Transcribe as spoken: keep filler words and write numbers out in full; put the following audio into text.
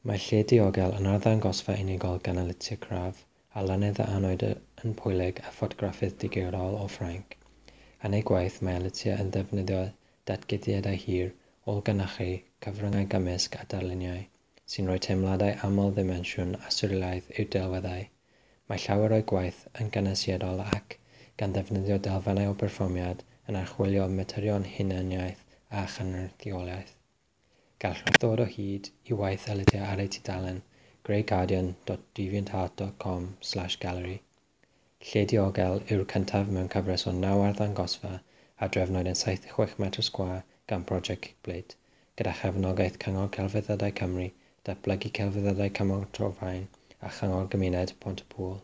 Mae Lle Diogel yn arddangosfa unigol gan Alicja Crave, arlunydd a anwyd yn Pwyleg a ffotograffydd digidol o Ffrainc. Yn ei gwaith, mae Alicja yn defnyddio datguddiadau hir, ôl-gynhyrchu, cyfryngau gymysg a darluniau, sy'n rhoi teimladau aml-ddimensiwn a swrealaidd i'w delweddau. Mae llawer o'i gwaith yn gynwysiadol ac, gan ddefnyddio delfennau o berfformiad, yn archwilio materion hunaniaeth a chynrychiolaeth. Gallwch ddod o hyd i waith Alicja ar ei tudalen greyguardian dot deviantart dot com slash gallery. Lle Diogel yw'r cyntaf mewn cyfres o naw arddangosfa a drefnwyd yn saith deg chwech metr sgwâr gan Project Kickplate, gyda chefnogaeth Cyngor Celfyddydau Cymru, Datblygu Celfyddydau Cymru Torfaen a Chyngor Gymuned Pont-y-pŵl.